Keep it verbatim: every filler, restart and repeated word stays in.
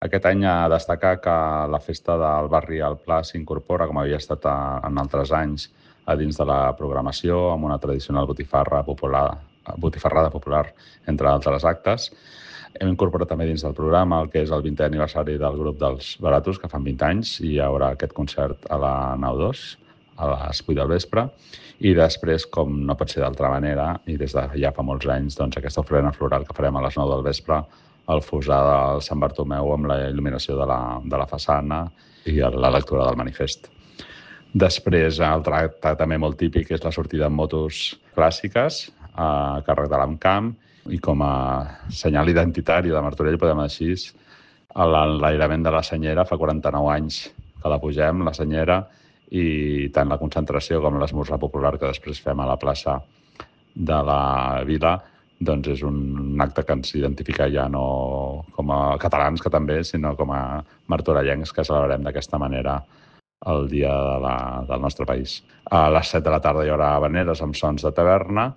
Aquest any a destacar que la festa del barri al Pla s'incorpora, com havia estat en altres anys, a dins de la programació, amb una tradicional botifarra popular, botifarrada popular, entre altres actes. Hem incorporat també dins del programa el que és el vintè aniversari del grup dels Baratos, que fan vint anys, i hi haurà aquest concert a la nau dos, a les vuit del vespre. I després, com no pot ser d'altra manera, i des de ja fa molts anys, doncs aquesta ofrena floral que farem a les nou del vespre, el fosar del Sant Bartomeu amb la il·luminació de la, de la façana i la lectura del manifest. Després, altre acte també molt típic és la sortida en motos clàssiques a càrrec de l'Amcamp, i com a senyal identitari de Martorell, podem dir així, l'enlairament de la Senyera, fa quaranta-nou anys que la pugem, la Senyera, i tant la concentració com l'esmorzar popular que després fem a la plaça de la Vila, doncs és un acte que ens identifica ja no com a catalans, que també, sinó com a martorellencs, que celebrem d'aquesta manera el dia de la, del nostre país. A les set de la tarda hi haurà habaneres amb sons de taverna